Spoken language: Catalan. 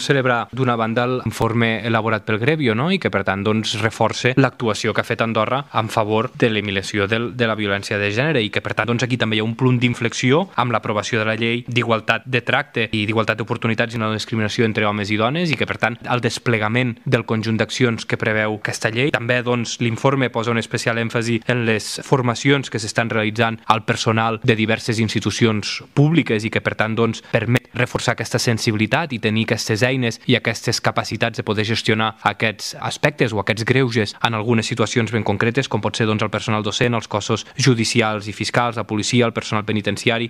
celebrar d'una banda l'informe elaborat pel Grevio, no? I que per tant reforça l'actuació que ha fet Andorra en favor de l'eliminació de la violència de gènere i que per tant aquí també hi ha un punt d'inflexió amb l'aprovació de la llei d'igualtat de tracte i d'igualtat d'oportunitats i no discriminació entre homes i dones i que per tant el desplegament del conjunt d'accions que preveu aquesta llei. També l'informe posa un especial èmfasi en les formacions que s'estan realitzant al personal de diverses institucions públiques i que per tant permet reforçar aquesta sensibilitat i tenir aquestes eines i aquestes capacitats de poder gestionar aquests aspectes o aquests greuges en algunes situacions ben concretes, com pot ser el personal docent, els cossos judicials i fiscals, la policia, el personal penitenciari.